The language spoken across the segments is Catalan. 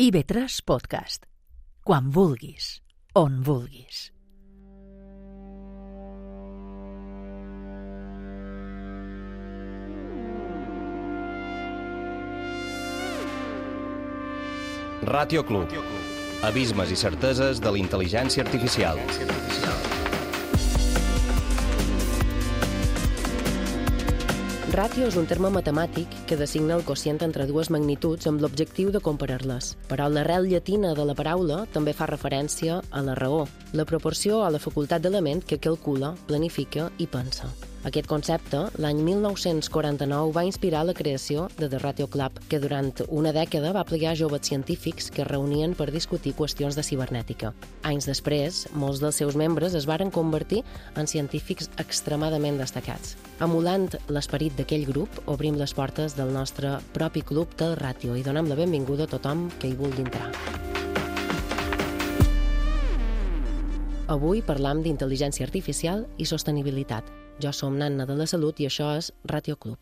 IB3 Podcast. Quan vulguis, on vulguis. Ràtio Club. Abismes i certeses de la intel·ligència artificial. Ràtio és un terme matemàtic que designa el quocient entre dues magnituds amb l'objectiu de comparar-les. Però l'arrel llatina de la paraula també fa referència a la raó, la proporció a la facultat d'element que calcula, planifica i pensa. Aquest concepte, l'any 1949, va inspirar la creació de The Ràtio Club, que durant una dècada va plegar joves científics que es reunien per discutir qüestions de cibernètica. Anys després, molts dels seus membres es varen convertir en científics extremadament destacats. Emulant l'esperit d'aquell grup, obrim les portes del nostre propi club del Ràtio i donem la benvinguda a tothom que hi vulgui entrar. Avui parlam d'intel·ligència artificial i sostenibilitat. Jo som Nanna de la Salut i això és Ràtio Club.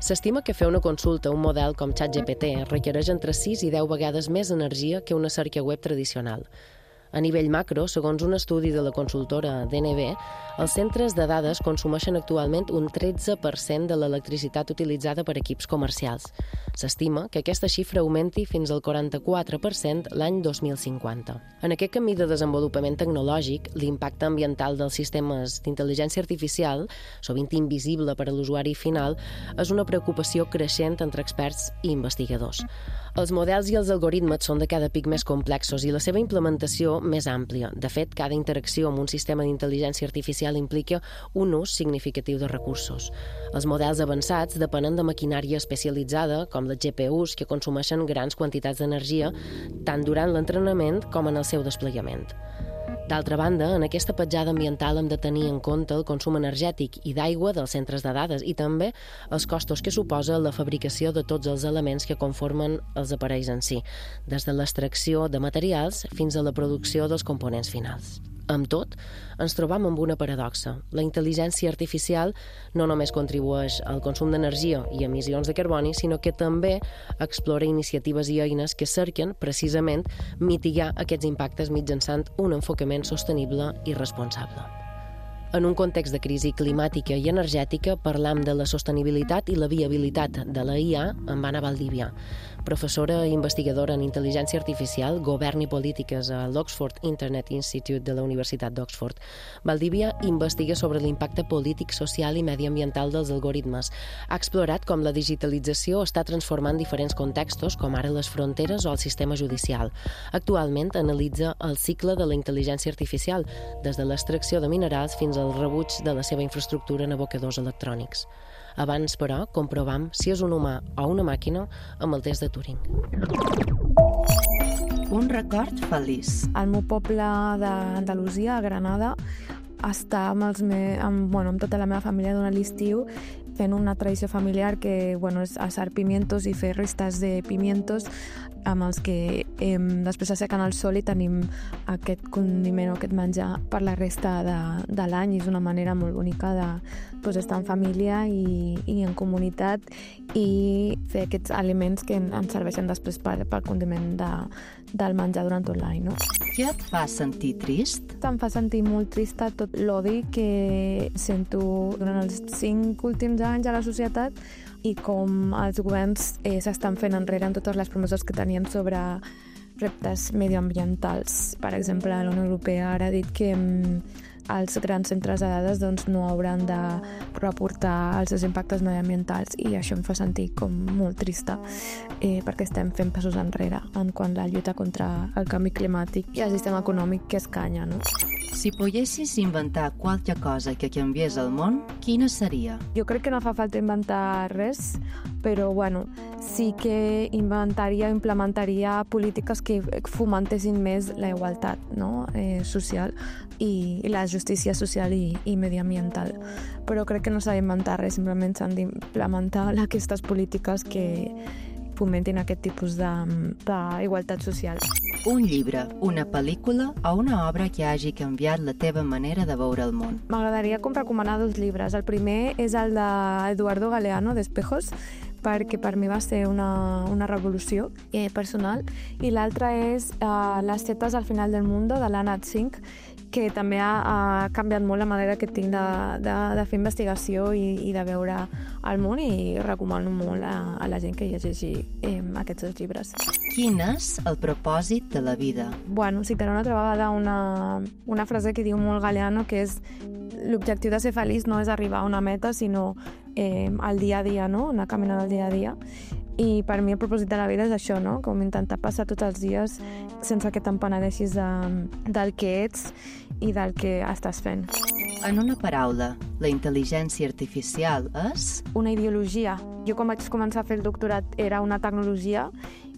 S'estima que fer una consulta a un model com ChatGPT requereix entre 6 i 10 vegades més energia que una cerca web tradicional. A nivell macro, segons un estudi de la consultora DNB, els centres de dades consumeixen actualment un 13% de l'electricitat utilitzada per equips comercials. S'estima que aquesta xifra augmenti fins al 44% l'any 2050. En aquest camí de desenvolupament tecnològic, l'impacte ambiental dels sistemes d'intel·ligència artificial, sovint invisible per a l'usuari final, és una preocupació creixent entre experts i investigadors. Els models i els algoritmes són de cada pic més complexos i la seva implementació més àmplia. De fet, cada interacció amb un sistema d'intel·ligència artificial implica un ús significatiu de recursos. Els models avançats depenen de maquinària especialitzada, com les GPUs, que consumeixen grans quantitats d'energia, tant durant l'entrenament com en el seu desplegament. D'altra banda, en aquesta petjada ambiental hem de tenir en compte el consum energètic i d'aigua dels centres de dades i també els costos que suposa la fabricació de tots els elements que conformen els aparells en si, des de l'extracció de materials fins a la producció dels components finals. Amb tot, ens trobam amb una paradoxa. La intel·ligència artificial no només contribueix al consum d'energia i emissions de carboni, sinó que també explora iniciatives i eines que cerquen, precisament, mitigar aquests impactes mitjançant un enfocament sostenible i responsable. En un context de crisi climàtica i energètica, parlam de la sostenibilitat i la viabilitat de la IA amb Anna Valdivia, professora i investigadora en intel·ligència artificial, govern i polítiques a l'Oxford Internet Institute de la Universitat d'Oxford. Valdivia investiga sobre l'impacte polític, social i mediambiental dels algoritmes. Ha explorat com la digitalització està transformant diferents contextos, com ara les fronteres o el sistema judicial. Actualment analitza el cicle de la intel·ligència artificial, des de l'extracció de minerals fins al rebuig de la seva infraestructura en abocadors electrònics. Abans, però, comprovam si és un humà o una màquina amb el test de Turing. Un record feliç. Al meu poble d'Andalusia, a Granada, està amb tota la meva família durant l'estiu fent una tradició familiar que és assar pimientos i fer restes de pimientos amb els que després assequen al sol i tenim aquest condiment o aquest menjar per la resta de l'any. És una manera molt bonica d'estar en família i en comunitat i fer aquests aliments que ens serveixen després pel condiment del menjar durant tot l'any. No? Què et fa sentir trist? Em fa sentir molt trista tot l'odi que sento durant els 5 últims anys a la societat i com els governs s'estan fent enrere en totes les promeses que tenien sobre reptes medioambientals. Per exemple, la Unió Europea ara ha dit que els grans centres de dades no hauran de reportar els seus impactes mediambientals i això em fa sentir com molt trista perquè estem fent passos enrere en quant a la lluita contra el canvi climàtic i el sistema econòmic que escanya. No? Si poguessis inventar qualque cosa que canviés el món, quina seria? Jo crec que no fa falta inventar res, però sí que implementaria polítiques que fomentessin més la igualtat social i la justícia social i mediambiental. Però crec que no s'ha d'inventar res, simplement s'han d'implementar aquestes polítiques que fomentin aquest tipus d'igualtat social. Un llibre, una pel·lícula o una obra que hagi canviat la teva manera de veure el món. M'agradaria recomanar 2 llibres. El primer és el d'Eduardo Galeano, d'Espejos, perquè per mi va ser una revolució personal, i l'altre és Les setas al final del mundo, de l'Anat Singh, que també ha canviat molt la manera que tinc de fer investigació i de veure el món, i recomano molt a la gent que llegeixi aquests 2 llibres. Quin és el propòsit de la vida? Bueno, citaré una altra vegada una frase que diu molt Galeano, que és: l'objectiu de ser feliç no és arribar a una meta, sinó el dia a dia, no? Anar caminant el dia a dia. I per mi el propòsit de la vida és això, no? Com intentar passar tots els dies sense que te'n penedeixis del que ets i del que estàs fent. En una paraula, la intel·ligència artificial és? Una ideologia. Jo quan vaig començar a fer el doctorat era una tecnologia,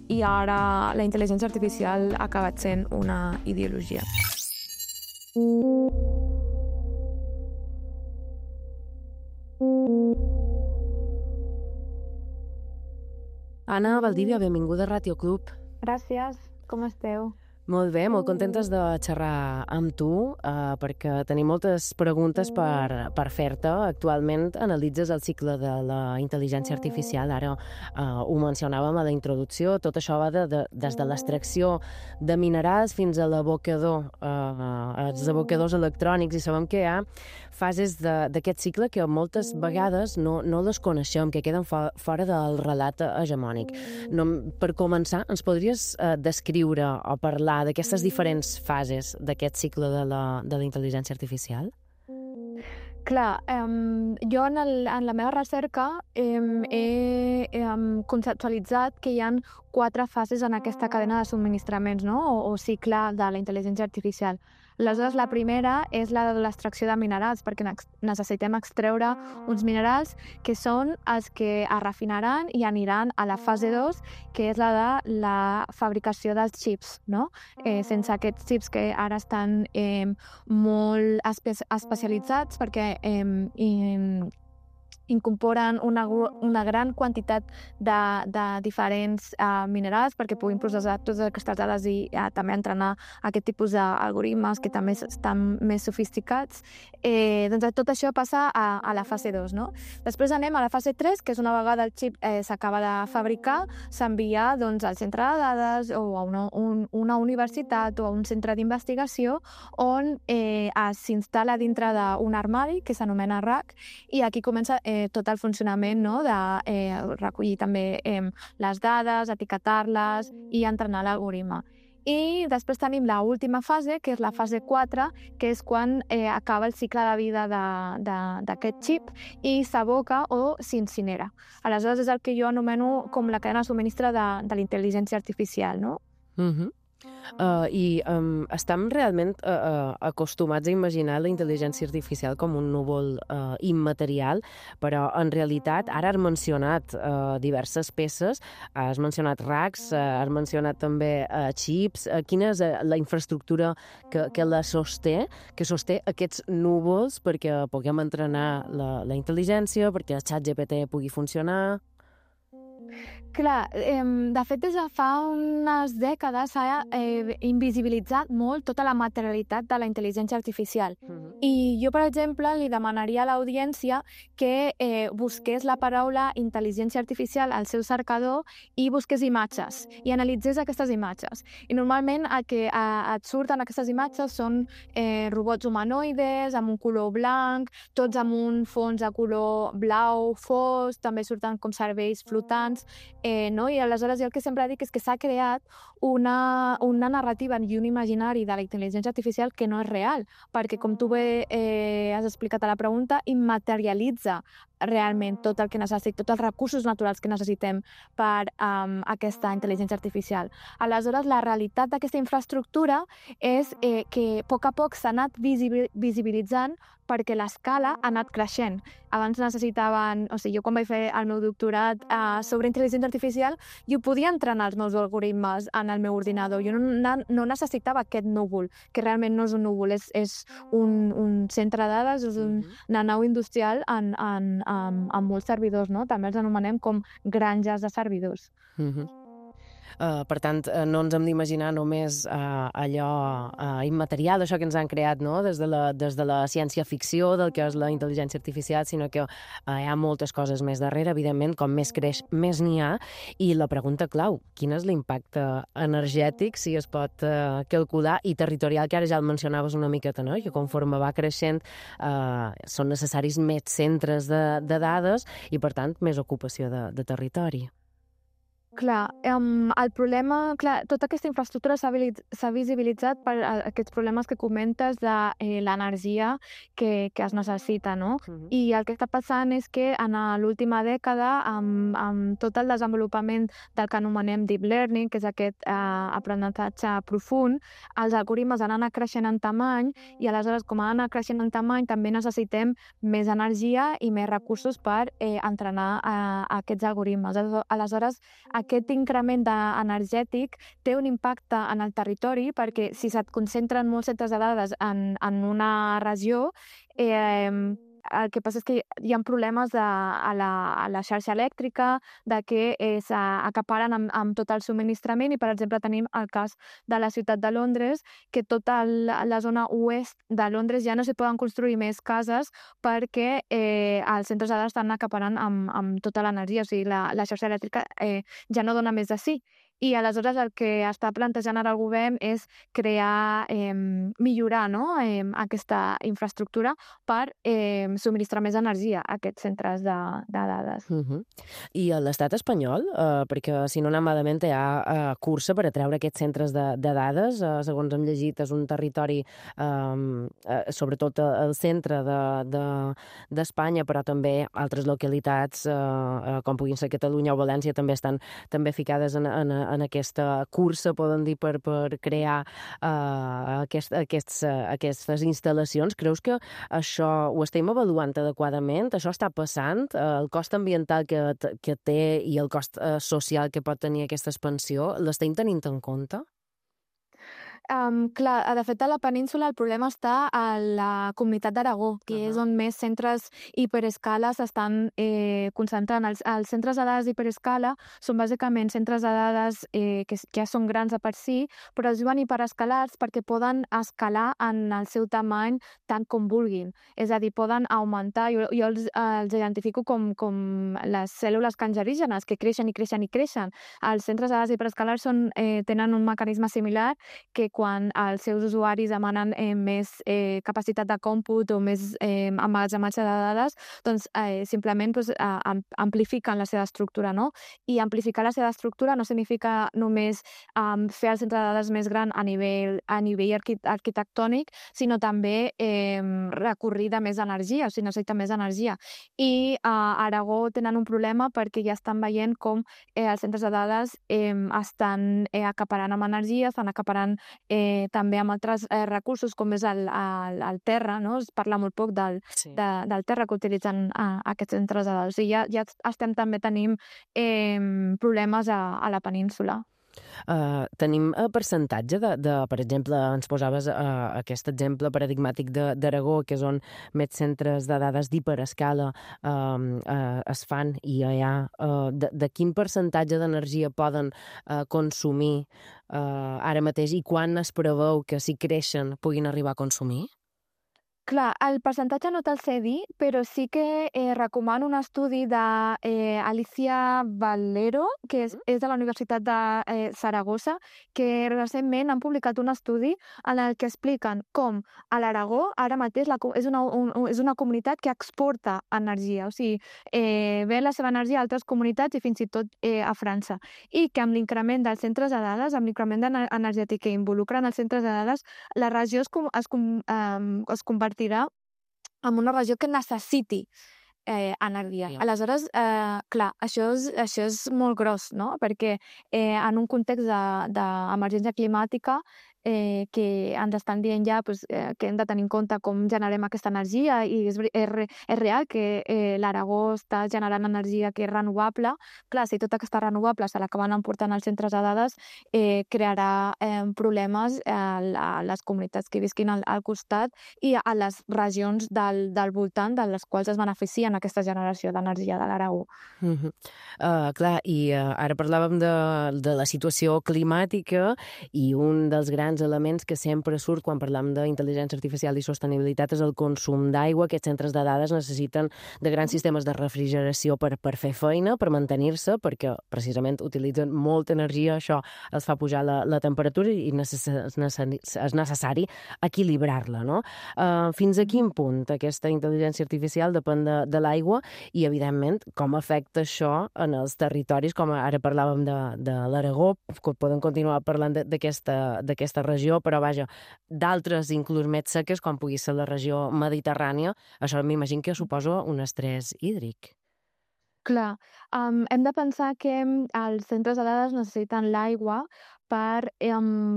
i ara la intel·ligència artificial ha acabat sent una ideologia. Anna Valdivia, benvinguda a Ràtio Club. Gràcies, com esteu? Molt bé, molt contentes de xerrar amb tu, perquè tenim moltes preguntes per fer-te. Actualment analitzes el cicle de la intel·ligència artificial, ara ho mencionàvem a la introducció, tot això va des de l'extracció de minerals fins a l'abocador, els abocadors electrònics, i sabem que hi ha fases d'aquest cicle que moltes vegades no les coneixem, que queden fora del relat hegemònic. Per començar, ens podries descriure o parlar d'aquestes diferents fases d'aquest cicle de la intel·ligència artificial? Clar, jo en la meva recerca he conceptualitzat que hi ha 4 fases en aquesta cadena de subministraments, no? o cicle de la intel·ligència artificial. Aleshores, la primera és la de l'extracció de minerals, perquè necessitem extreure uns minerals que són els que es refinaran i aniran a la fase 2, que és la de la fabricació dels xips, no? Sense aquests xips que ara estan molt especialitzats, perquè incorporen una gran quantitat de diferents minerals perquè puguin processar totes aquestes dades i també entrenar aquest tipus d'algoritmes que també estan més sofisticats. Doncs tot això passa a la fase 2, no? Després anem a la fase 3, que és una vegada el xip s'acaba de fabricar, s'envia al centre de dades o a una universitat o a un centre d'investigació on s'instal·la dintre d'un armari que s'anomena rack, i aquí comença tot el funcionament, no? De recollir també les dades, etiquetar-les i entrenar l'algoritme. I després tenim l'última fase, que és la fase 4, que és quan acaba el cicle de vida d'aquest xip i s'aboca o s'incinera. Aleshores és el que jo anomeno com la cadena de subministre de la intel·ligència artificial, no? I estem realment acostumats a imaginar la intel·ligència artificial com un núvol immaterial, però en realitat ara has mencionat diverses peces, has mencionat racks, has mencionat també xips. Quina és la infraestructura que sosté aquests núvols perquè puguem entrenar la intel·ligència, perquè el ChatGPT pugui funcionar? Clar, de fet, des de fa unes dècades s'ha invisibilitzat molt tota la materialitat de la intel·ligència artificial. I jo, per exemple, li demanaria a l'audiència que busqués la paraula intel·ligència artificial al seu cercador i busqués imatges, i analitzés aquestes imatges. I normalment el que et surten aquestes imatges són robots humanoides amb un color blanc, tots amb un fons de color blau fosc, també surten com cervells flotants, no? I aleshores jo el que sempre dic és que s'ha creat una narrativa i un imaginari de la intel·ligència artificial que no és real, perquè, com tu bé has explicat a la pregunta, immaterialitza realment tot el que necessita, tots els recursos naturals que necessitem per aquesta intel·ligència artificial. Aleshores, la realitat d'aquesta infraestructura és que a poc s'ha anat visibilitzant perquè l'escala ha anat creixent. Abans necessitaven... O sigui, jo quan vaig fer el meu doctorat sobre intel·ligència artificial, jo podia entrenar els meus algoritmes en el meu ordinador. Jo no necessitava aquest núvol, que realment no és un núvol, és un centre de dades, és una nau industrial en amb molts servidors, no? També els anomenem com granges de servidors. Per tant, no ens hem d'imaginar només allò immaterial, això que ens han creat, no? des de la ciència-ficció del que és la intel·ligència artificial, sinó que hi ha moltes coses més darrere, evidentment, com més creix, més n'hi ha, i la pregunta clau, quin és l'impacte energètic, si es pot calcular, i territorial, que ara ja el mencionaves una miqueta, no? Que conforme va creixent són necessaris més centres de dades i, per tant, més ocupació de territori. Clar, el problema, tota aquesta infraestructura s'ha visibilitzat per aquests problemes que comentes de l'energia que es necessita, no? I el que està passant és que en l'última dècada, amb tot el desenvolupament del que anomenem deep learning, que és aquest aprenentatge profund, els algoritmes han anat creixent en tamany i aleshores, com han anat creixent en tamany, també necessitem més energia i més recursos per entrenar aquests algoritmes. Aleshores, aquest increment energètic té un impacte en el territori perquè si se't concentren molts centres de dades en una regió, el que passa és que hi ha problemes a la xarxa elèctrica, de que s'acaparen amb tot el subministrament i, per exemple, tenim el cas de la ciutat de Londres, que tota la zona oest de Londres ja no s'hi poden construir més cases perquè els centres de dades estan acaparant amb tota l'energia, o sigui, la xarxa elèctrica ja no dona més de sí. I aleshores el que està plantejant ara el govern és millorar, no? Aquesta infraestructura per subministrar més energia a aquests centres de dades. I a l'estat espanyol, perquè si no anem malament hi ha cursa per atreure aquests centres de dades, segons hem llegit és un territori sobretot al centre d'Espanya, però també altres localitats com puguin ser Catalunya o València també estan també ficades en aquesta cursa, poden dir, per crear aquestes instal·lacions. Creus que això ho estem avaluant adequadament? Això està passant? El cost ambiental que té i el cost social que pot tenir aquesta expansió, l'estem tenint en compte? Clar, de fet, a la península el problema està a la Comunitat d'Aragó, que és on més centres hiperescala s'estan concentrant. Els centres de dades hiperescala són bàsicament centres de dades que ja són grans de per si, però es diuen hiperescalats perquè poden escalar en el seu tamany tant com vulguin. És a dir, poden augmentar, jo els identifico com les cèl·lules cancerígenes, que creixen i creixen i creixen. Els centres de dades hiperescalars tenen un mecanisme similar que quan els seus usuaris demanen més capacitat de còmput o més emmagatzematge de dades, doncs simplement amplifiquen la seva estructura, no? I amplificar la seva estructura no significa només fer el centre de dades més gran a nivell arquitectònic, sinó també recorrir de més energia, o sigui, necessita més energia. I a Aragó tenen un problema perquè ja estan veient com els centres de dades estan acaparant amb energia, estan acaparant també amb altres recursos com és el terra, no? Es parla molt poc del terra que utilitzen aquests centres de dades. O sigui, ja estem també tenim problemes a la península. Tenim percentatge per exemple, ens posaves aquest exemple paradigmàtic d'Aragó, que és on més centres de dades d'hiperescala es fan i hi ha de quin percentatge d'energia poden consumir ara mateix i quan es preveu que si creixen puguin arribar a consumir? Clar, el percentatge no te'l sé dir, però sí que recomano un estudi d'Alicia Valero, que és de la Universitat de Saragossa, que recentment han publicat un estudi en el que expliquen com a l'Aragó ara mateix és una comunitat que exporta energia, o sigui, ve la seva energia a altres comunitats i fins i tot a França. I que amb l'increment dels centres de dades, amb l'increment energètic que involucren els centres de dades, la regió es convertirà en una regió que necessiti energia. Aleshores, clar, això és molt gros, no? Perquè en un context d'emergència climàtica que ens estan dient ja que hem de tenir en compte com generem aquesta energia, i és real que l'Aragó està generant energia que és renovable. Clar, si tota aquesta renovable se l'acaben emportant als centres de dades, crearà problemes a les comunitats que visquin al costat i a les regions del voltant, de les quals es beneficien aquesta generació d'energia de l'Aragó. Clar, i ara parlàvem de la situació climàtica, i un dels grans elements que sempre surt quan parlam d'intel·ligència artificial i sostenibilitat és el consum d'aigua. Aquests centres de dades necessiten de grans sistemes de refrigeració per fer feina, per mantenir-se, perquè precisament utilitzen molta energia, això els fa pujar la temperatura i és necessari equilibrar-la, no? Fins a quin punt aquesta intel·ligència artificial depèn de l'aigua i, evidentment, com afecta això en els territoris, com ara parlàvem de l'Aragó, que podem continuar parlant d'aquesta regió, però vaja, d'altres inclús més seques, com pugui ser la regió mediterrània, això m'imagino que suposa un estrès hídric. Clar, hem de pensar que els centres de dades necessiten l'aigua per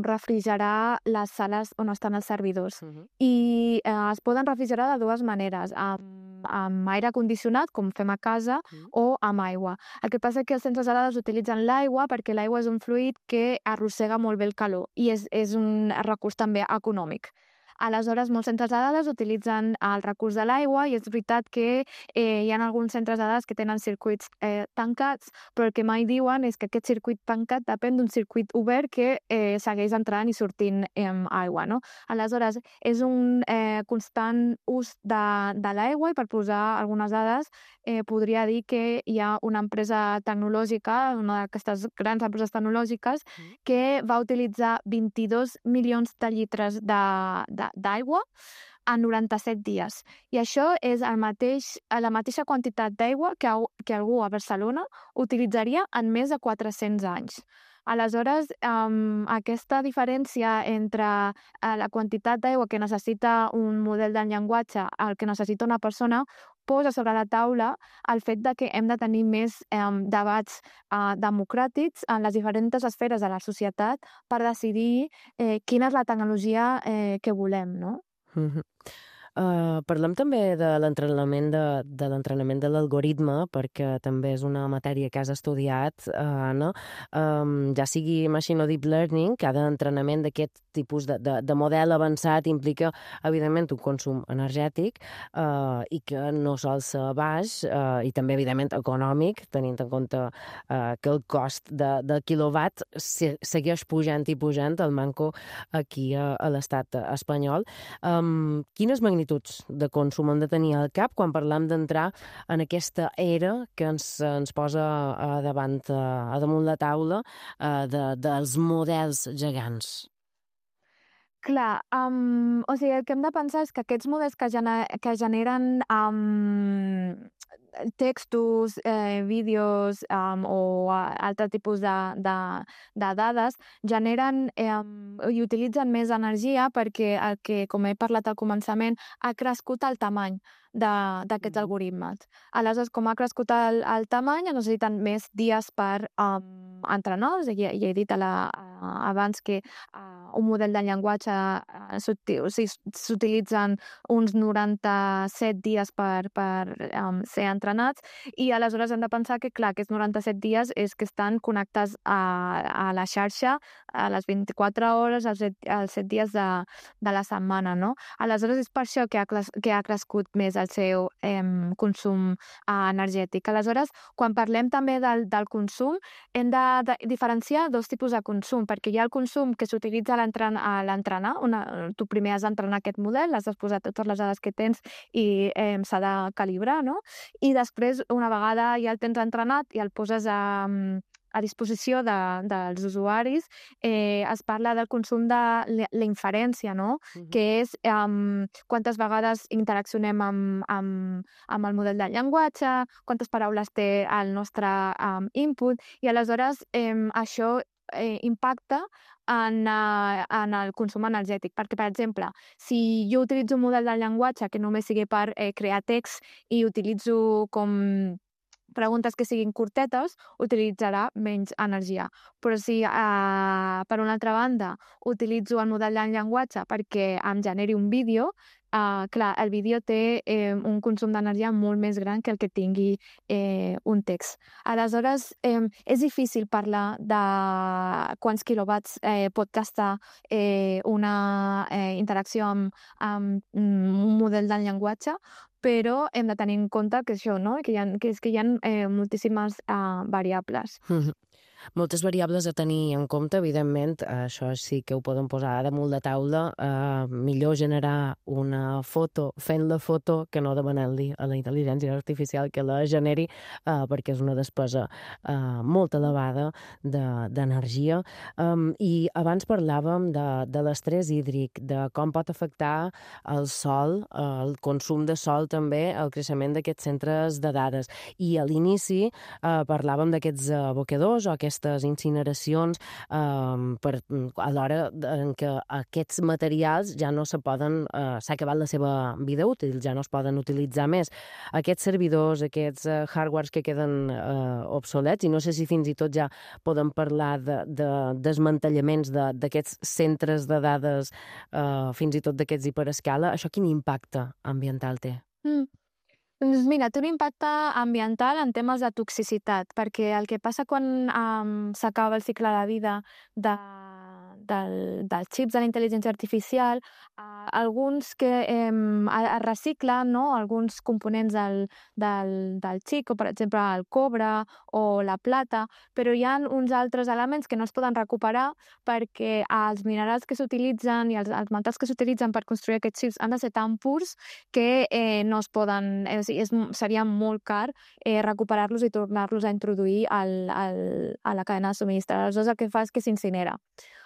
refrigerar les sales on estan els servidors. I es poden refrigerar de dues maneres, amb aire condicionat, com fem a casa, o amb aigua. El que passa és que els centres de dades utilitzen l'aigua perquè l'aigua és un fluid que arrossega molt bé el calor i és un recurs també econòmic. Aleshores, molts centres de dades utilitzen el recurs de l'aigua, i és veritat que hi ha alguns centres de dades que tenen circuits tancats, però el que mai diuen és que aquest circuit tancat depèn d'un circuit obert que segueix entrant i sortint aigua, no? Aleshores, és un constant ús de l'aigua, i per posar algunes dades, podria dir que hi ha una empresa tecnològica, una d'aquestes grans empreses tecnològiques, que va utilitzar 22 milions de litres d'aigua en 97 dies. I això és la mateixa quantitat d'aigua que algú a Barcelona utilitzaria en més de 400 anys. Aleshores, aquesta diferència entre la quantitat d'aigua que necessita un model de llenguatge al que necessita una persona posa sobre la taula el fet de que hem de tenir més debats democràtics en les diferents esferes de la societat per decidir quina és la tecnologia que volem, no? Parlem també de l'entrenament de l'algoritme, perquè també és una matèria que has estudiat, Anna. Ja sigui machine o deep learning, cada entrenament d'aquest tipus de model avançat implica, evidentment, un consum energètic i que no sol ser baix, i també, evidentment, econòmic, tenint en compte que el cost del quilowatt segueix pujant i pujant, el manco aquí a l'estat espanyol. Quines magnituds de consum hem de tenir al cap quan parlam d'entrar en aquesta era que ens posa damunt la taula dels models gegants? Clar, o sigui, el que hem de pensar és que aquests models que generen textos, vídeos o altre tipus de dades generen i utilitzen més energia perquè el que, com he parlat al començament, ha crescut el tamany d'aquests algoritmes. Aleshores, com ha crescut el tamany, necessiten més dies per entrenar. O sigui, ja he dit abans que un model de llenguatge s'utilitzen uns 97 dies per ser entrenats, i aleshores hem de pensar que, clar, aquests 97 dies és que estan connectats a la xarxa a les 24 hores, els 7 dies de la setmana, no? Aleshores, és per això que ha crescut més el seu consum energètic. Aleshores, quan parlem també del consum, hem de diferenciar dos tipus de consum, perquè hi ha el consum que s'utilitza a l'entrenar. Tu primer has d'entrenar aquest model, has de posar totes les dades que tens i s'ha de calibrar, no? I després, una vegada ja el tens entrenat i el poses a disposició dels usuaris, es parla del consum de la inferència, no? Que és quantes vegades interaccionem amb el model de llenguatge, quantes paraules té el nostre input, i aleshores això impacta en el consum energètic. Perquè, per exemple, si jo utilitzo un model de llenguatge que només sigui per crear text i utilitzo com preguntes que siguin curtetes, utilitzarà menys energia. Però si, per una altra banda, utilitzo el model de llenguatge perquè em generi un vídeo, clar, el vídeo té un consum d'energia molt més gran que el que tingui un text. Aleshores, és difícil parlar de quants quilowatts pot gastar una interacció amb un model de llenguatge, però hem de tenir en compte que això, no? que hi ha moltíssimes variables. Moltes variables a tenir en compte, evidentment, això sí que ho poden posar damunt de taula, millor generar una foto fent la foto que no demanant-li a la intel·ligència artificial que la generi, perquè és una despesa molt elevada d'energia. I abans parlàvem de l'estrès hídric, de com pot afectar el sol, el consum de sol també, el creixement d'aquests centres de dades. I a l'inici parlàvem d'aquests abocadors o aquestes incineracions a l'hora en què aquests materials ja no s'ha acabat la seva vida útil, ja no es poden utilitzar més. Aquests servidors, aquests hardwares que queden obsolets, i no sé si fins i tot ja podem parlar de desmantellaments d'aquests centres de dades, fins i tot d'aquests hiperescala, això quin impacte ambiental té? Doncs mira, té un impacte ambiental en temes de toxicitat, perquè el que passa quan s'acaba el cicle de vida dels xips de la intel·ligència artificial, alguns que es reciclen, no? Alguns components del xip, com per exemple el cobre o la plata, però hi ha uns altres elements que no es poden recuperar perquè els minerals que s'utilitzen i els metalls que s'utilitzen per construir aquests xips han de ser tan purs que no es poden... seria molt car recuperar-los i tornar-los a introduir a la cadena de subministrament. Aleshores, el que fa és que s'incinera.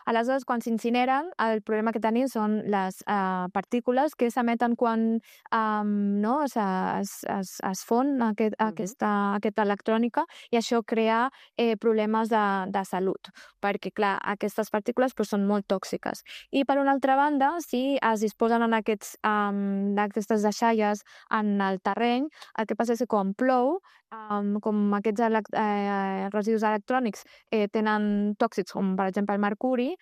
Aleshores, quan s'incineren, el problema que tenim són les partícules que s'emeten quan es fon aquesta electrònica, i això crea problemes de salut, perquè, clar, aquestes partícules són molt tòxiques. I, per una altra banda, si es disposen d'aquestes deixalles en el terreny, el que passa és que quan plou, com aquests residus electrònics tenen tòxics, com per exemple el mercuri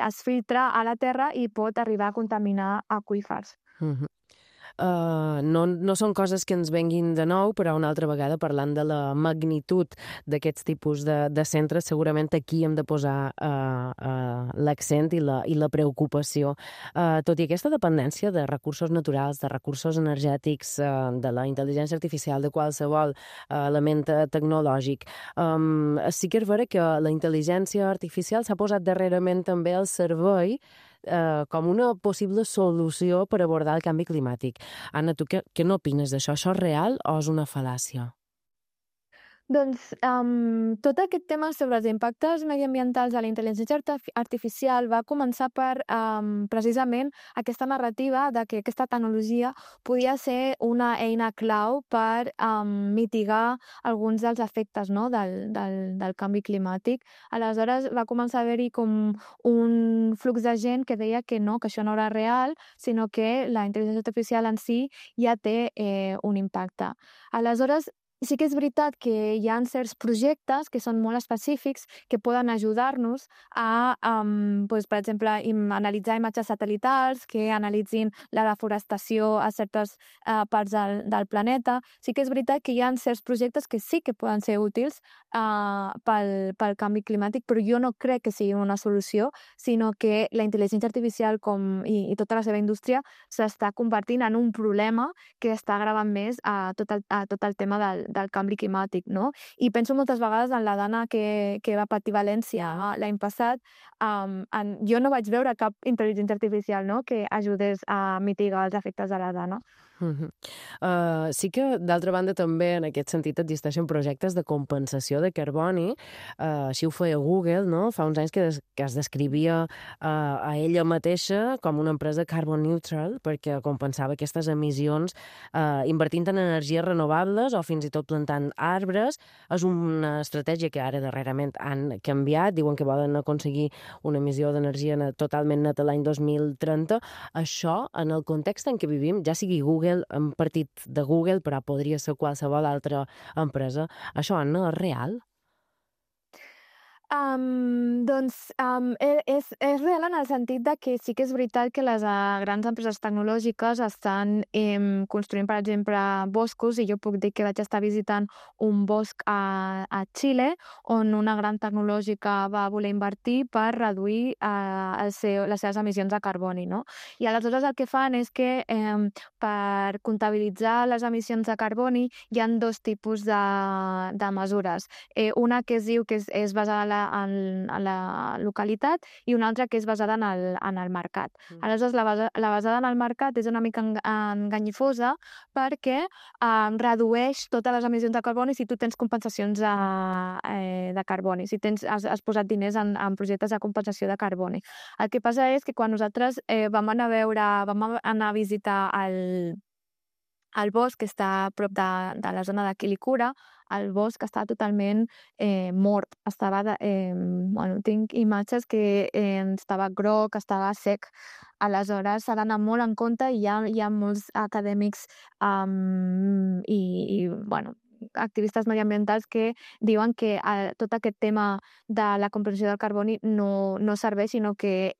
es filtra a la terra i pot arribar a contaminar aqüífers. No són coses que ens venguin de nou, però una altra vegada, parlant de la magnitud d'aquests tipus de centres, segurament aquí hem de posar l'accent i la preocupació. Tot i aquesta dependència de recursos naturals, de recursos energètics, de la intel·ligència artificial, de qualsevol element tecnològic, sí que és vera que la intel·ligència artificial s'ha posat darrerament també al servei com una possible solució per abordar el canvi climàtic. Anna, tu què n'opines d'això? Això és real o és una fal·làcia? Doncs tot aquest tema sobre els impactes mediambientals de la intel·ligència artificial va començar per precisament aquesta narrativa de que aquesta tecnologia podia ser una eina clau per mitigar alguns dels efectes, no? del canvi climàtic. Aleshores va començar a haver-hi com un flux de gent que deia que no, que això no era real, sinó que la intel·ligència artificial en si ja té un impacte. Aleshores, sí que és veritat que hi ha certs projectes que són molt específics que poden ajudar-nos a, per exemple, analitzar imatges satellitals que analitzin la deforestació a certes parts del planeta. Sí que és veritat que hi ha certs projectes que sí que poden ser útils pel canvi climàtic, però jo no crec que sigui una solució, sinó que la intel·ligència artificial i tota la seva indústria s'està convertint en un problema que està agravant més a tot el tema del canvi climàtic, no? I penso moltes vegades en la dana que va patir València l'any passat. Jo no vaig veure cap intel·ligència artificial, no?, que ajudés a mitigar els efectes de la dana. Sí que, d'altra banda, també en aquest sentit existeixen projectes de compensació de carboni. Així ho feia Google, no? Fa uns anys que es descrivia a ella mateixa com una empresa carbon neutral, perquè compensava aquestes emissions invertint en energies renovables o fins i tot plantant arbres. És una estratègia que ara darrerament han canviat, diuen que volen aconseguir una emissió d'energia totalment neta l'any 2030. Això, en el context en què vivim, ja sigui Google Google, hem partit de Google, però podria ser qualsevol altra empresa. Això, Anna, és real? És real en el sentit de que sí que és veritat que les grans empreses tecnològiques estan construint, per exemple, boscos, i jo puc dir que vaig estar visitant un bosc a Xile on una gran tecnològica va voler invertir per reduir les seves emissions de carboni, no? I aleshores el que fan és que per comptabilitzar les emissions de carboni hi ha dos tipus de mesures. Una que es diu que és basada en la localitat i una altra que és basada en el mercat. Aleshores, la basada en el mercat és una mica enganyifosa perquè redueix totes les emissions de carboni si tu tens compensacions de carboni, si has posat diners en projectes de compensació de carboni. El que passa és que quan nosaltres vam anar a visitar el bosc que està a prop de la zona de Quilicura, el bosc estava totalment mort. Tinc imatges que estava groc, estava sec. Aleshores, s'ha d'anar molt en compte i hi ha molts acadèmics activistes mediambientals que diuen que tot aquest tema de la compensació del carboni no serveix, sinó que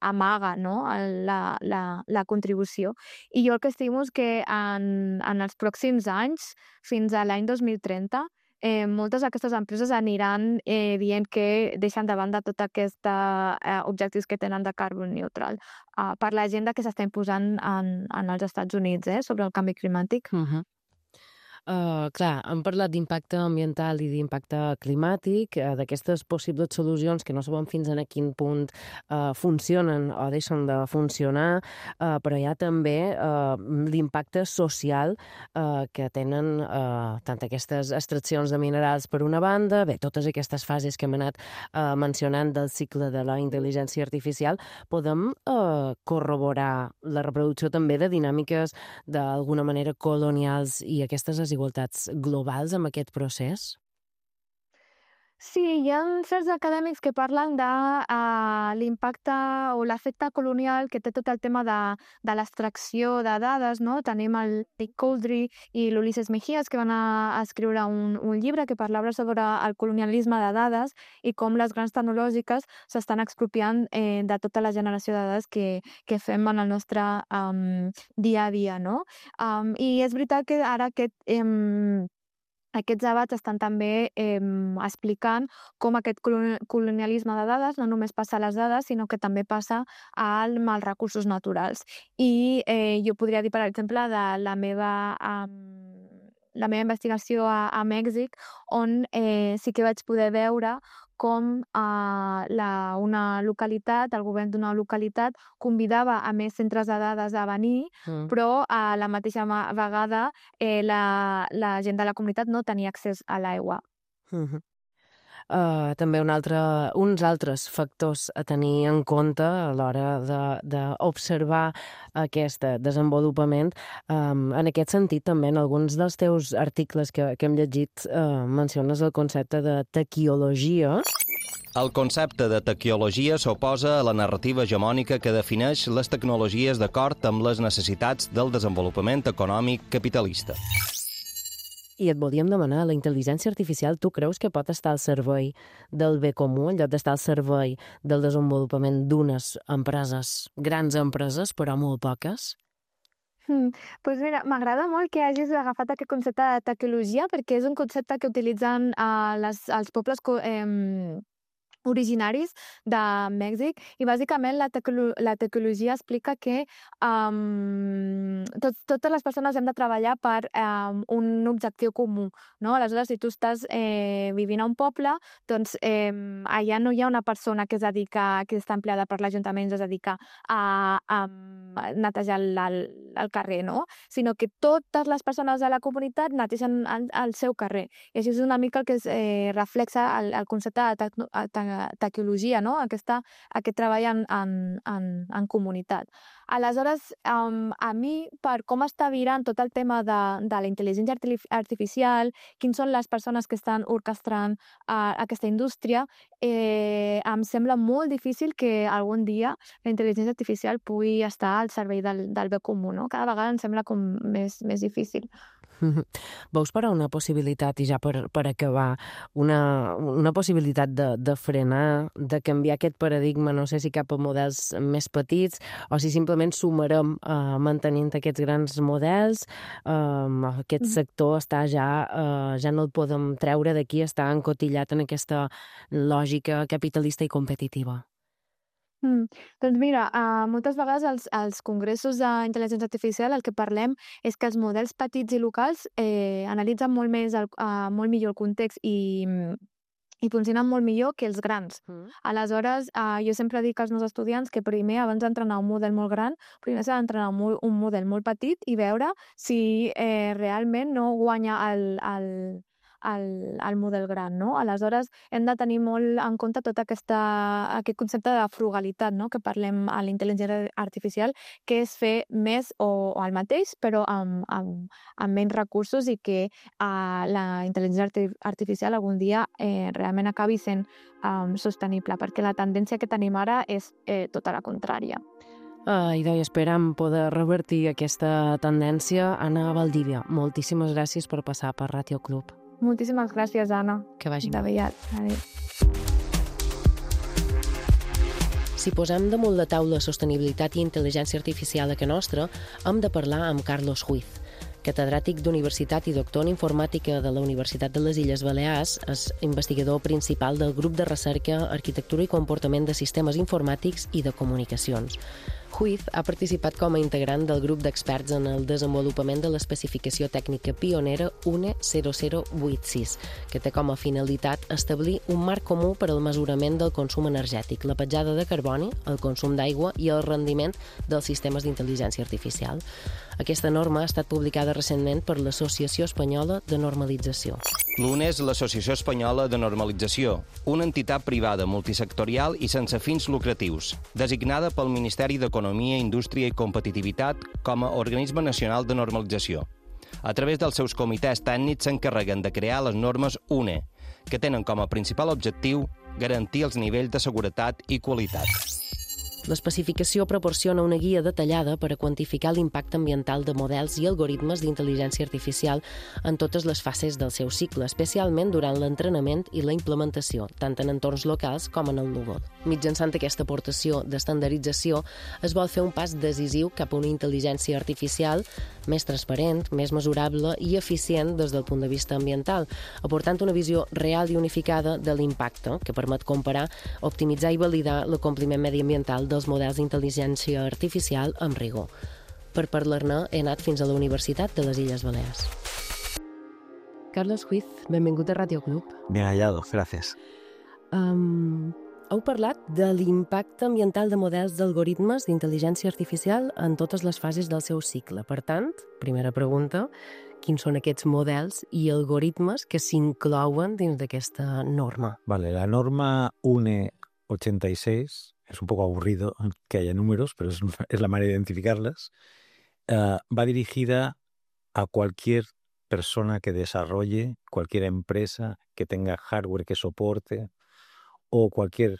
amaga, no? la contribució. I jo el que estimo és que en els pròxims anys, fins a l'any 2030, moltes d'aquestes empreses aniran dient que deixen de banda tots aquests objectius que tenen de carbon neutral per l'agenda que s'està imposant en els Estats Units sobre el canvi climàtic. Clar, hem parlat d'impacte ambiental i d'impacte climàtic, d'aquestes possibles solucions que no sabem fins a quin punt funcionen o deixen de funcionar, però hi ha també l'impacte social que tenen tant aquestes extraccions de minerals per una banda, bé, totes aquestes fases que hem anat mencionant del cicle de la intel·ligència artificial, podem corroborar la reproducció també de dinàmiques d'alguna manera colonials i aquestes desigualtats globals amb aquest procés? Sí, hi ha certs acadèmics que parlen de l'impacte o l'efecte colonial que té tot el tema de l'extracció de dades, no? Tenim el Nick Couldry i l'Ulises Mejías, que van a escriure un llibre que parlava sobre el colonialisme de dades i com les grans tecnològiques s'estan expropiant de tota la generació de dades que fem en el nostre dia a dia, no? I és veritat que ara aquests debats estan també explicant com aquest colonialisme de dades no només passa a les dades, sinó que també passa amb els recursos naturals. I jo podria dir, per exemple, de la meva investigació a Mèxic, on sí que vaig poder veure com una localitat, el govern d'una localitat, convidava a més centres de dades a venir, però a la mateixa vegada la gent de la comunitat no tenia accés a l'aigua. També uns altres factors a tenir en compte a l'hora d'observar aquest desenvolupament. En aquest sentit, també, en alguns dels teus articles que hem llegit, menciones el concepte de taquiologia. El concepte de taquiologia s'oposa a la narrativa hegemònica que defineix les tecnologies d'acord amb les necessitats del desenvolupament econòmic capitalista. I et volíem demanar, la intel·ligència artificial, tu creus que pot estar al servei del bé comú, en lloc d'estar al servei del desenvolupament d'unes empreses, grans empreses, però molt poques? Pues mira, m'agrada molt que hagis agafat aquest concepte de taquiologia, perquè és un concepte que utilitzen els pobles originaris de Mèxic, i bàsicament la taquiologia explica que totes les persones hem de treballar per un objectiu comú, no? Aleshores, si tu estàs vivint a un poble, doncs allà no hi ha una persona que està empleada per l'Ajuntament, es dedica a netejar el carrer, no? Sinó que totes les persones de la comunitat netegen el seu carrer. I així és una mica el que reflexa el concepte de taquiologia, no? Aquest treball en comunitat. Aleshores, a mi, per com està virant tot el tema de la intel·ligència artificial, quins són les persones que estan orquestrant aquesta indústria, em sembla molt difícil que algun dia la intel·ligència artificial pugui estar al servei del bé comú, no? Cada vegada em sembla com més difícil. Veus, però, una possibilitat, i ja per acabar, una possibilitat de frenar, de canviar aquest paradigma, no sé si cap a models més petits, o si simplement sumarem mantenint aquests grans models, aquest sector està ja no el podem treure d'aquí, està encotillat en aquesta lògica capitalista i competitiva. Doncs mira, moltes vegades als congressos d'intel·ligència artificial el que parlem és que els models petits i locals analitzen molt millor el context i funcionen molt millor que els grans. Aleshores, jo sempre dic als meus estudiants que primer, abans d'entrenar un model molt gran, primer s'ha d'entrenar un model molt petit i veure si realment no guanya el model gran, no? Aleshores, hem de tenir molt en compte tot aquest concepte de frugalitat, no? Que parlem a la intel·ligència artificial, que és fer més o el mateix, però amb menys recursos, i que la intel·ligència artificial algun dia realment acabi sent sostenible, perquè la tendència que tenim ara és tota la contrària. Idò, i esperam poder revertir aquesta tendència. Anna Valdivia, moltíssimes gràcies per passar per Ràdio Club. Moltíssimes gràcies, Anna. Que vagi bé. Adéu. Si posem damunt la taula sostenibilitat i intel·ligència artificial a casa nostra, hem de parlar amb Carlos Huiz, catedràtic d'Universitat i doctor en Informàtica de la Universitat de les Illes Balears, és investigador principal del grup de recerca Arquitectura i Comportament de Sistemes Informàtics i de Comunicacions. Huiz ha participat com a integrant del grup d'experts en el desenvolupament de l'especificació tècnica pionera UNE 0086, que té com a finalitat establir un marc comú per al mesurament del consum energètic, la petjada de carboni, el consum d'aigua i el rendiment dels sistemes d'intel·ligència artificial. Aquesta norma ha estat publicada recentment per l'Associació Espanyola de Normalització. L'UNE és l'Associació Espanyola de Normalització, una entitat privada multisectorial i sense fins lucratius, designada pel Ministeri d'Economia, Indústria i Competitivitat com a organisme nacional de normalització. A través dels seus comitès tècnics s'encarreguen de crear les normes UNE, que tenen com a principal objectiu garantir els nivells de seguretat i qualitat. L'especificació proporciona una guia detallada per a quantificar l'impacte ambiental de models i algoritmes d'intel·ligència artificial en totes les fases del seu cicle, especialment durant l'entrenament i la implementació, tant en entorns locals com en el núvol. Mitjançant aquesta aportació d'estandardització, es vol fer un pas decisiu cap a una intel·ligència artificial més transparent, més mesurable i eficient des del punt de vista ambiental, aportant una visió real i unificada de l'impacte, que permet comparar, optimitzar i validar l'acompliment mediambiental dels models d'intel·ligència artificial amb rigor. Per parlar-ne, he anat fins a la Universitat de les Illes Balears. Carlos Huiz, benvingut a Ràdio Club. Bien hallado, gracias. Heu parlat de l'impacte ambiental de models d'algoritmes d'intel·ligència artificial en totes les fases del seu cicle. Per tant, primera pregunta, quins són aquests models i algoritmes que s'inclouen dins d'aquesta norma? Vale, la norma UNE 86, es un poco aburrido que haya números, pero es la manera de identificarlas, va dirigida a cualquier persona que desarrolle, cualquier empresa que tenga hardware que soporte o cualquier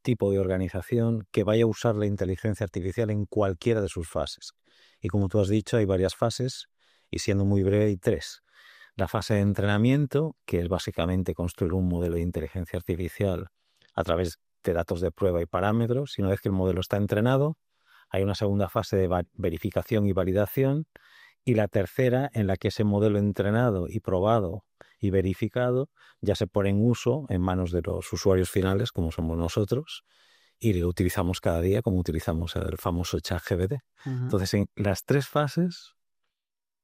tipo de organización que vaya a usar la inteligencia artificial en cualquiera de sus fases. Y como tú has dicho, hay varias fases y siendo muy breve hay 3. La fase de entrenamiento, que es básicamente construir un modelo de inteligencia artificial a través de datos de prueba y parámetros, y una vez que el modelo está entrenado, hay una segunda fase de verificación y validación, y la tercera en la que ese modelo entrenado y probado y verificado ya se pone en uso en manos de los usuarios finales, como somos nosotros, y lo utilizamos cada día, como utilizamos el famoso ChatGPT. Entonces, en las 3 fases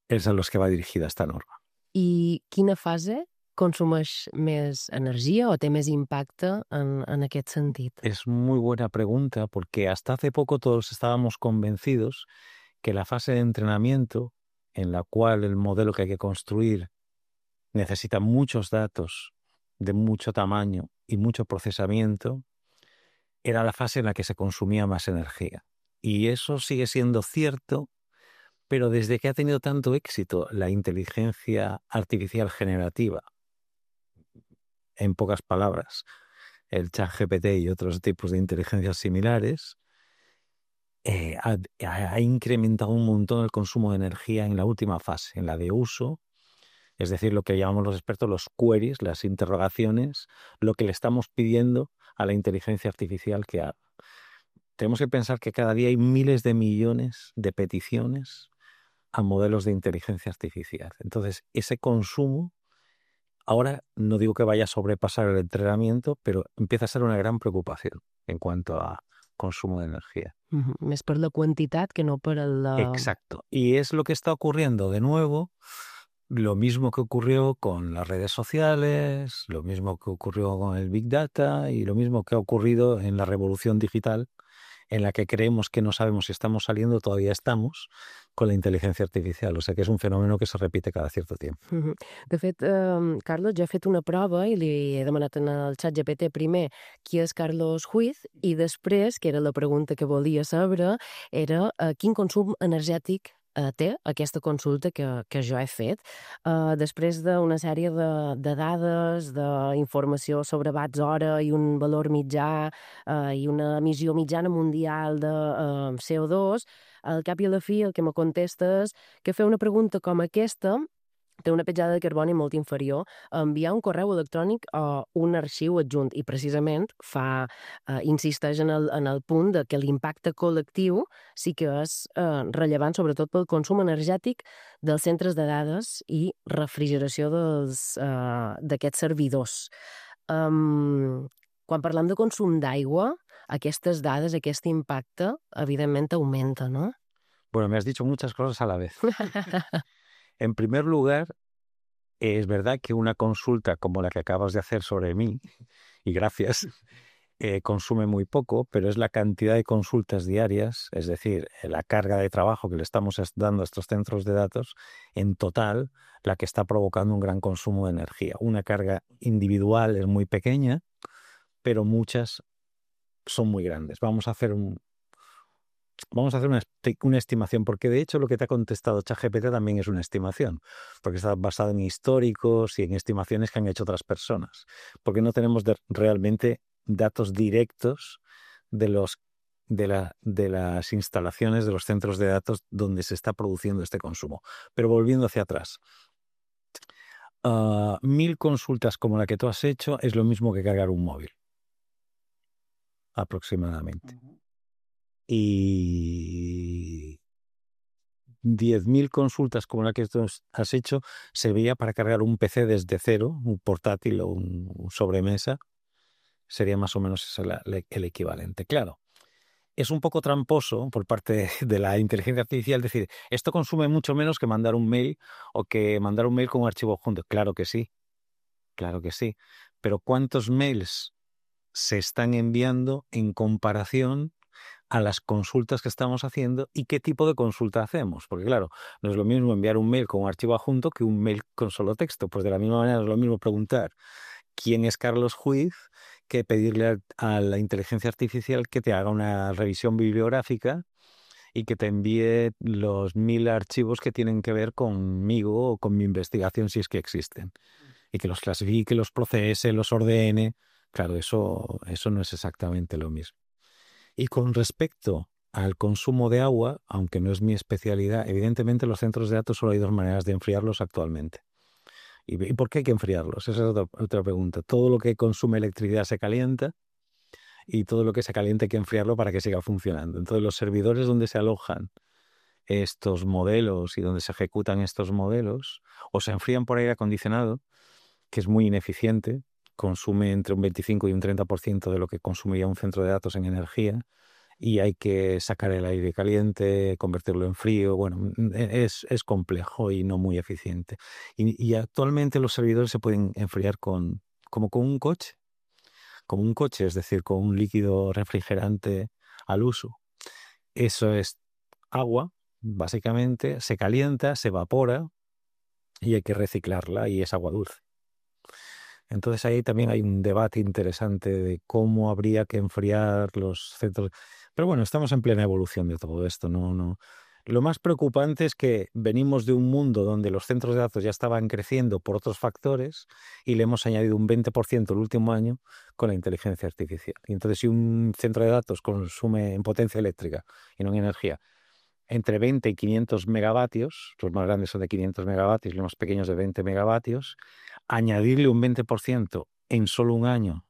es a los que va dirigida esta norma. I quina fase consumeix més energia o té més impacte en aquest sentit? Es muy buena pregunta, porque hasta hace poco todos estábamos convencidos que la fase de entrenamiento, en la cual el modelo que hay que construir necesita muchos datos de mucho tamaño y mucho procesamiento, era la fase en la que se consumía más energía. Y eso sigue siendo cierto, pero desde que ha tenido tanto éxito la inteligencia artificial generativa, en pocas palabras, el ChatGPT y otros tipos de inteligencias similares, ha incrementado un montón el consumo de energía en la última fase, en la de uso, es decir, lo que llamamos los expertos los queries, las interrogaciones, lo que le estamos pidiendo a la inteligencia artificial que haga. Tenemos que pensar que cada día hay miles de millones de peticiones a modelos de inteligencia artificial. Entonces, ese consumo, ahora no digo que vaya a sobrepasar el entrenamiento, pero empieza a ser una gran preocupación en cuanto a consumo de energía. Més per la quantitat que no per la... Exacto. Y es lo que está ocurriendo de nuevo, lo mismo que ocurrió con las redes sociales, lo mismo que ocurrió con el Big Data y lo mismo que ha ocurrido en la revolución digital, en la que creemos que no sabemos si estamos saliendo, todavía estamos, con la inteligencia artificial. O sea que és un fenòmeno que se repite cada cierto tiempo. De fet, Carlos, jo he fet una prova i li he demanat en el ChatGPT primer qui és Carlos Huiz i després, que era la pregunta que volia saber, era quin consum energètic té aquesta consulta que jo he fet. Després d'una sèrie de dades, d'informació sobre watts hora i un valor mitjà i una emissió mitjana mundial de CO2, al cap i a la fi el que me contesta és que fer una pregunta com aquesta té una petjada de carboni molt inferior a enviar un correu electrònic o un arxiu adjunt i precisament insisteix en el punt de que l'impacte col·lectiu sí que és rellevant sobretot pel consum energètic dels centres de dades i refrigeració d'aquests servidors. Quan parlem de consum d'aigua, aquestes dades, aquest impacte, evidentment augmenta, ¿no? Bueno, me has dicho muchas cosas a la vez. En primer lugar, es verdad que una consulta como la que acabas de hacer sobre mí, y gracias, consume muy poco, pero es la cantidad de consultas diarias, es decir, la carga de trabajo que le estamos dando a estos centros de datos, en total, la que está provocando un gran consumo de energía. Una carga individual es muy pequeña, pero muchas son muy grandes. Vamos a hacer una estimación, porque de hecho lo que te ha contestado ChatGPT también es una estimación, porque está basado en históricos y en estimaciones que han hecho otras personas, porque no tenemos realmente datos directos de las instalaciones de los centros de datos donde se está produciendo este consumo. Pero volviendo hacia atrás, 1000 consultas como la que tú has hecho es lo mismo que cargar un móvil, aproximadamente. Y 10.000 consultas como la que tú has hecho serviría para cargar un PC desde cero, un portátil o un sobremesa. Sería más o menos el equivalente. Claro, es un poco tramposo por parte de la inteligencia artificial decir, esto consume mucho menos que mandar un mail o que mandar un mail con un archivo junto. Claro que sí. Pero ¿cuántos mails se están enviando en comparación a las consultas que estamos haciendo y qué tipo de consulta hacemos? Porque claro, no es lo mismo enviar un mail con un archivo adjunto que un mail con solo texto. Pues de la misma manera es lo mismo preguntar quién es Carlos Huiz que pedirle a la inteligencia artificial que te haga una revisión bibliográfica y que te envíe los 1000 archivos que tienen que ver conmigo o con mi investigación, si es que existen, y que los clasifique, los procese, los ordene. Claro, eso no es exactamente lo mismo. Y con respecto al consumo de agua, aunque no es mi especialidad, evidentemente los centros de datos solo hay dos maneras de enfriarlos actualmente. ¿Y por qué hay que enfriarlos? Esa es otra pregunta. Todo lo que consume electricidad se calienta y todo lo que se calienta hay que enfriarlo para que siga funcionando. Entonces los servidores donde se alojan estos modelos y donde se ejecutan estos modelos o se enfrían por aire acondicionado, que es muy ineficiente, consume entre un 25 y un 30% de lo que consumiría un centro de datos en energía, y hay que sacar el aire caliente, convertirlo en frío. Bueno, es complejo y no muy eficiente. Y actualmente los servidores se pueden enfriar como con un coche, es decir, con un líquido refrigerante al uso. Eso es agua, básicamente, se calienta, se evapora y hay que reciclarla y es agua dulce. Entonces ahí también hay un debate interesante de cómo habría que enfriar los centros. Pero bueno, estamos en plena evolución de todo esto. No. Lo más preocupante es que venimos de un mundo donde los centros de datos ya estaban creciendo por otros factores y le hemos añadido un 20% el último año con la inteligencia artificial. Y entonces si un centro de datos consume en potencia eléctrica y no en energía entre 20 y 500 megavatios, los más grandes son de 500 megavatios y los más pequeños de 20 megavatios, añadirle un 20% en solo un año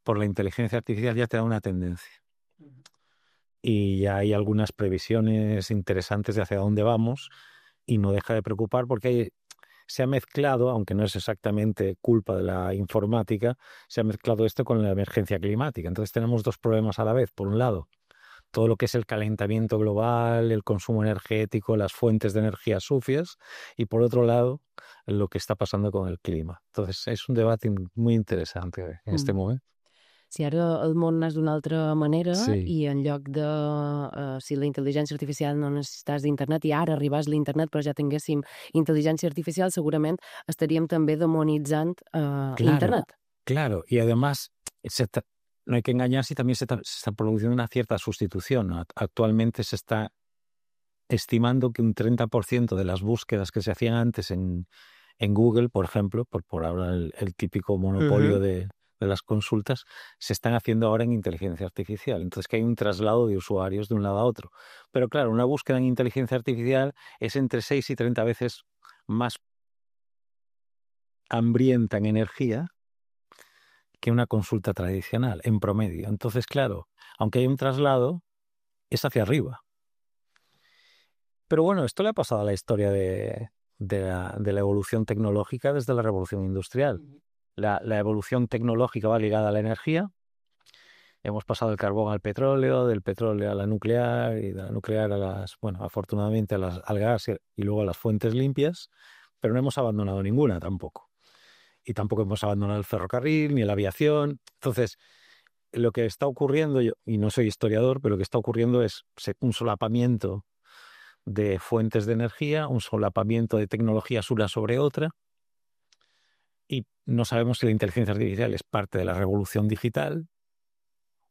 por la inteligencia artificial ya te da una tendencia. Y ya hay algunas previsiones interesantes de hacia dónde vamos y no deja de preocupar porque se ha mezclado, aunque no es exactamente culpa de la informática, se ha mezclado esto con la emergencia climática. Entonces tenemos dos problemas a la vez. Por un lado, todo lo que es el calentamiento global, el consumo energético, las fuentes de energía sucias, y por otro lado, lo que está pasando con el clima. Entonces, es un debate muy interesante en este momento. Si ara el món n'és d'una altra manera Sí. i en lloc de si la intel·ligència artificial no necessités d'internet i ara arribés l'internet però ja tinguéssim intel·ligència artificial, segurament estaríem també demonitzant l'internet. Claro, y además no hay que engañarse, también se está produciendo una cierta sustitución. Actualmente se está estimando que un 30% de las búsquedas que se hacían antes en Google, por ejemplo, por ahora el típico monopolio de las consultas, se están haciendo ahora en inteligencia artificial. Entonces que hay un traslado de usuarios de un lado a otro. Pero claro, una búsqueda en inteligencia artificial es entre 6 y 30 veces más hambrienta en energía que una consulta tradicional, en promedio. Entonces, claro, aunque hay un traslado, es hacia arriba. Pero bueno, esto le ha pasado a la historia de la evolución tecnológica desde la revolución industrial. La evolución tecnológica va ligada a la energía. Hemos pasado del carbón al petróleo, del petróleo a la nuclear y de la nuclear a las, bueno, afortunadamente al gas y luego a las fuentes limpias, pero no hemos abandonado ninguna tampoco. Y tampoco hemos abandonado el ferrocarril ni la aviación. Entonces, lo que está ocurriendo, y no soy historiador, pero lo que está ocurriendo es un solapamiento de fuentes de energía, un solapamiento de tecnologías una sobre otra, y no sabemos si la inteligencia artificial es parte de la revolución digital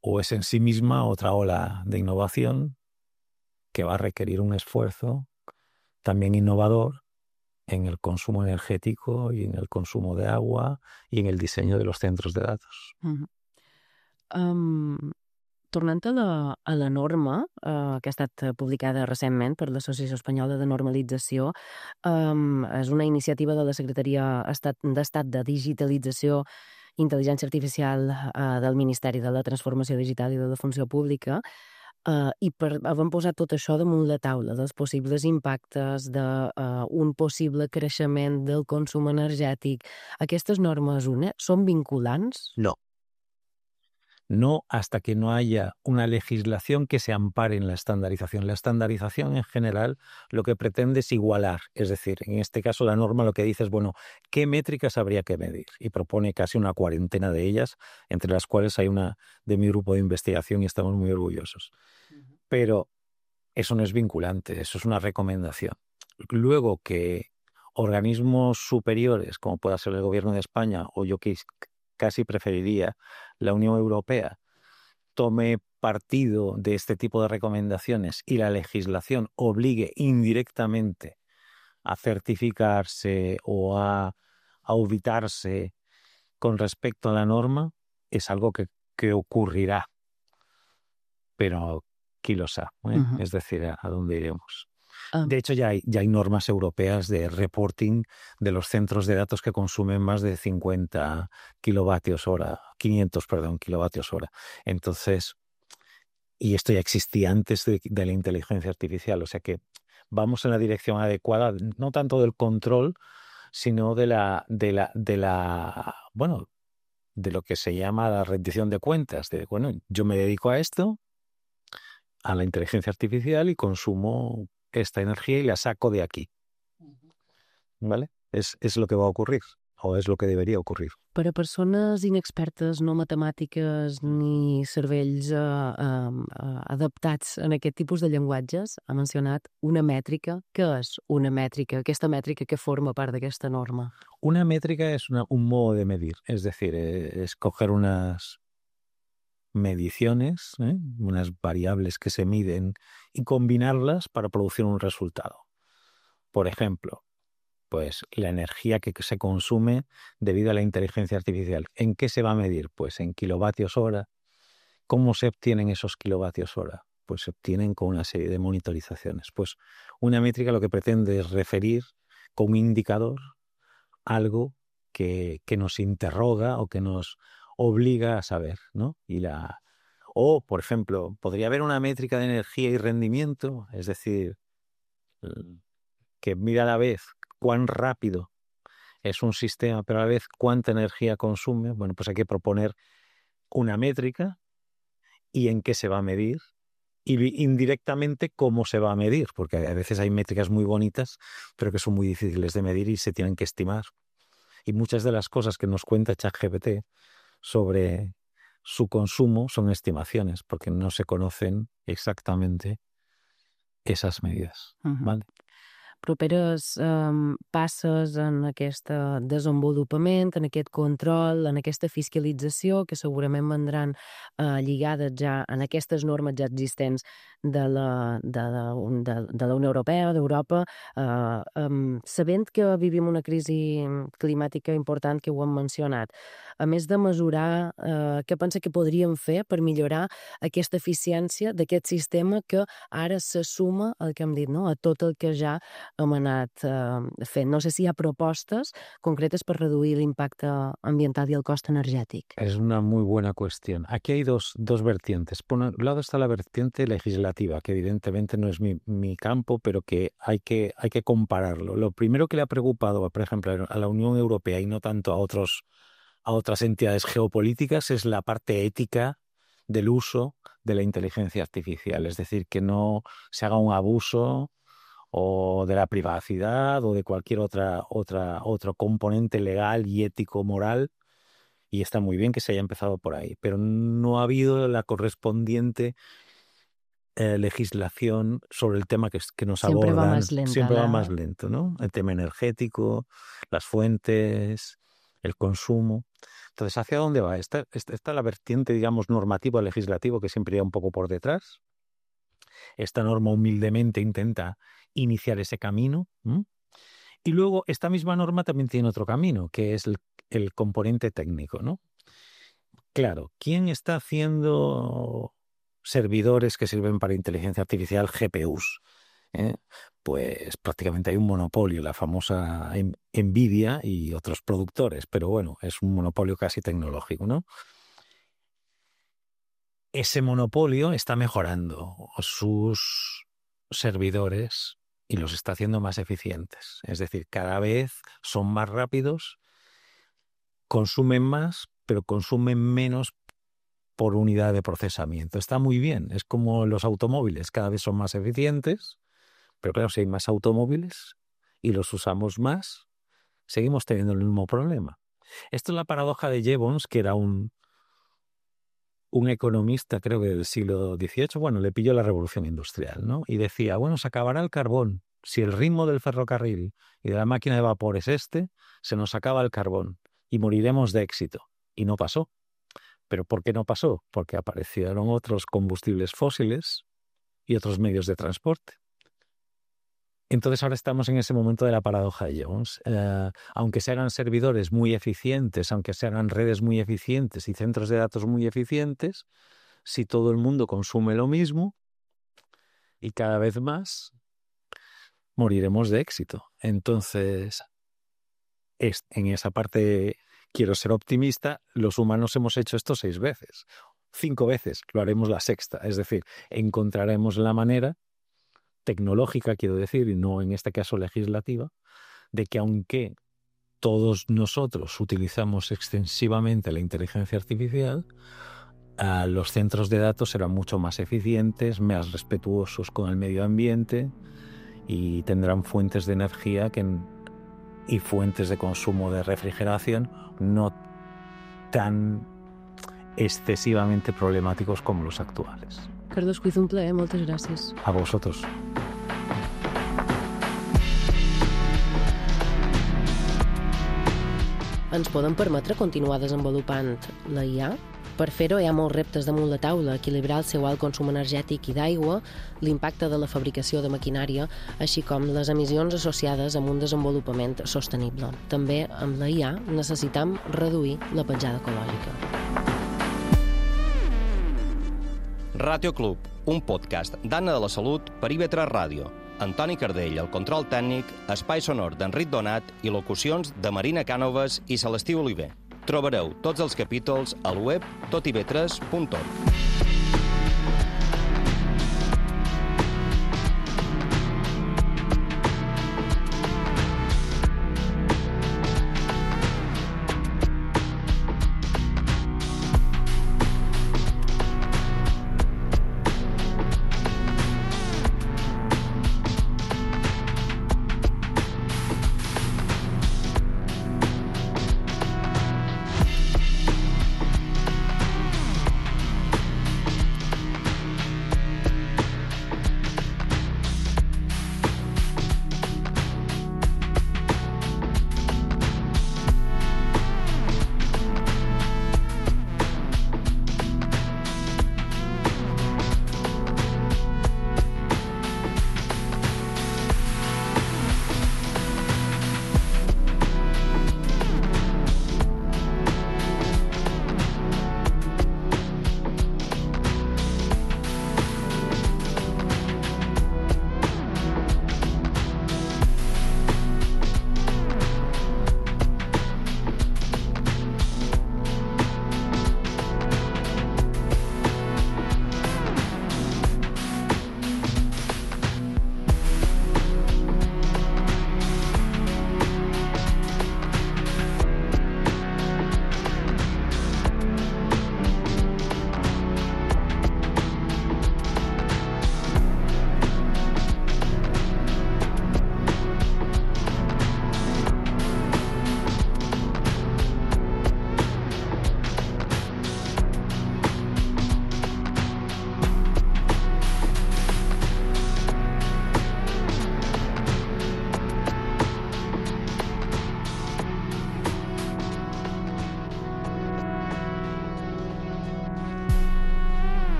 o es en sí misma otra ola de innovación que va a requerir un esfuerzo también innovador en el consumo energético y en el consumo de agua y en el diseño de los centros de datos. Tornant a la norma que ha estat publicada recentment per l'Associació Espanyola de Normalització, és una iniciativa de la Secretaria d'Estat de Digitalització i Intel·ligència Artificial del Ministeri de la Transformació Digital i de la Funció Pública, i havent posat tot això damunt la taula dels possibles impactes d'un possible creixement del consum energètic, aquestes normes són vinculants? No hasta que no haya una legislación que se ampare en la estandarización. La estandarización en general lo que pretende es igualar, es decir, en este caso la norma lo que dice es, bueno, ¿qué métricas habría que medir? Y propone casi una cuarentena de ellas, entre las cuales hay una de mi grupo de investigación y estamos muy orgullosos. Pero eso no es vinculante, eso es una recomendación. Luego que organismos superiores, como pueda ser el Gobierno de España o yo que casi preferiría la Unión Europea, tome partido de este tipo de recomendaciones y la legislación obligue indirectamente a certificarse o a auditarse con respecto a la norma, es algo que ocurrirá. Pero quién lo sabe, es decir, a dónde iremos. De hecho, ya hay normas europeas de reporting de los centros de datos que consumen más de 500 kilovatios hora. Entonces, y esto ya existía antes de la inteligencia artificial, o sea que vamos en la dirección adecuada, no tanto del control, sino de lo que se llama la rendición de cuentas. Yo me dedico a esto, a la inteligencia artificial, y consumo esta energía y la saco de aquí. ¿Vale? Es lo que va a ocurrir. o es lo que debería ocurrir. Per a persones inexpertes, no matemàtiques ni cervells adaptats en aquest tipus de llenguatges, ha mencionat una mètrica. Què és una mètrica? Aquesta mètrica que forma part d'aquesta norma? Una métrica es un modo de medir, es decir, es coger unas mediciones, unas variables que se miden y combinarlas para producir un resultado. Por ejemplo, pues la energía que se consume debido a la inteligencia artificial. ¿En qué se va a medir? Pues en kilovatios hora. ¿Cómo se obtienen esos kilovatios hora? Pues se obtienen con una serie de monitorizaciones. Pues una métrica lo que pretende es referir con un indicador algo que nos interroga o que nos obliga a saber, ¿no? O, por ejemplo, podría haber una métrica de energía y rendimiento, es decir, que mira a la vez cuán rápido es un sistema, pero a la vez cuánta energía consume. Bueno, pues hay que proponer una métrica y en qué se va a medir y indirectamente cómo se va a medir, porque a veces hay métricas muy bonitas, pero que son muy difíciles de medir y se tienen que estimar. Y muchas de las cosas que nos cuenta ChatGPT sobre su consumo son estimaciones, porque no se conocen exactamente esas medidas. ¿Vale? Properes passes en aquest desenvolupament, en aquest control, en aquesta fiscalització, que segurament vendran lligades ja en aquestes normes ja existents de la Unió Europea, d'Europa, sabent que vivim una crisi climàtica important, que ho hem mencionat. A més de mesurar, què pensa que podríem fer per millorar aquesta eficiència d'aquest sistema que ara se suma al que hem dit, no? A tot el que ja hem anat fent. No sé si hi ha propostes concretes per reduir l'impacte ambiental y el coste energético. Es una muy buena cuestión. Aquí hay dos vertientes. Por un lado está la vertiente legislativa, que evidentemente no es mi campo, pero que hay que compararlo. Lo primero que le ha preocupado, por ejemplo, a la Unión Europea y no tanto a otras entidades geopolíticas es la parte ética del uso de la inteligencia artificial. Es decir, que no se haga un abuso o de la privacidad o de cualquier otro componente legal y ético moral, y está muy bien que se haya empezado por ahí, pero no ha habido la correspondiente legislación sobre el tema que nos siempre abordan. Va más lenta, siempre va más lento, ¿no? El tema energético, las fuentes, el consumo. Entonces, ¿hacia dónde va? Está la vertiente, digamos, normativo legislativo, que siempre iría un poco por detrás. Esta norma humildemente intenta iniciar ese camino. Y luego esta misma norma también tiene otro camino, que es el componente técnico, ¿no? Claro, ¿quién está haciendo servidores que sirven para inteligencia artificial, GPUs? Pues prácticamente hay un monopolio, la famosa Nvidia y otros productores, pero bueno, es un monopolio casi tecnológico, ¿no? Ese monopolio está mejorando sus servidores y los está haciendo más eficientes. Es decir, cada vez son más rápidos, consumen más, pero consumen menos por unidad de procesamiento. Está muy bien, es como los automóviles, cada vez son más eficientes, pero claro, si hay más automóviles y los usamos más, seguimos teniendo el mismo problema. Esto es la paradoja de Jevons, que era un economista, creo que del siglo XVIII, bueno, le pilló la revolución industrial, ¿no? Y decía, bueno, se acabará el carbón. Si el ritmo del ferrocarril y de la máquina de vapor es se nos acaba el carbón y moriremos de éxito. Y no pasó. ¿Pero por qué no pasó? Porque aparecieron otros combustibles fósiles y otros medios de transporte. Entonces ahora estamos en ese momento de la paradoja de Jevons. Aunque se hagan servidores muy eficientes, aunque se hagan redes muy eficientes y centros de datos muy eficientes, si todo el mundo consume lo mismo y cada vez más, moriremos de éxito. Entonces, en esa parte quiero ser optimista. Los humanos hemos hecho esto 6 veces. 5 veces, lo haremos la 6ª. Es decir, encontraremos la manera tecnológica, quiero decir, y no en este caso legislativa, de que aunque todos nosotros utilizamos extensivamente la inteligencia artificial, los centros de datos serán mucho más eficientes, más respetuosos con el medio ambiente y tendrán fuentes de energía que y fuentes de consumo de refrigeración no tan excesivamente problemáticos como los actuales. Carlos Cuiz, un plaer, moltes gràcies. A vosotros. Ens poden permetre continuar desenvolupant la IA? Per fer-ho hi ha molts reptes damunt la taula, equilibrar el seu alt consum energètic i d'aigua, l'impacte de la fabricació de maquinària, així com les emissions associades amb un desenvolupament sostenible. També amb la IA necessitam reduir la petjada ecològica. Ràtio Club, un podcast d'Anna de la Salut per IB3 Ràdio. Antoni Cardell, el control tècnic, espai sonor d'Enric Donat i locucions de Marina Cànoves i Celestí Oliver. Trobareu tots els capítols al web totib3.org.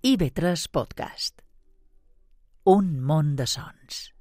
IB3 Podcast. Un món de sons.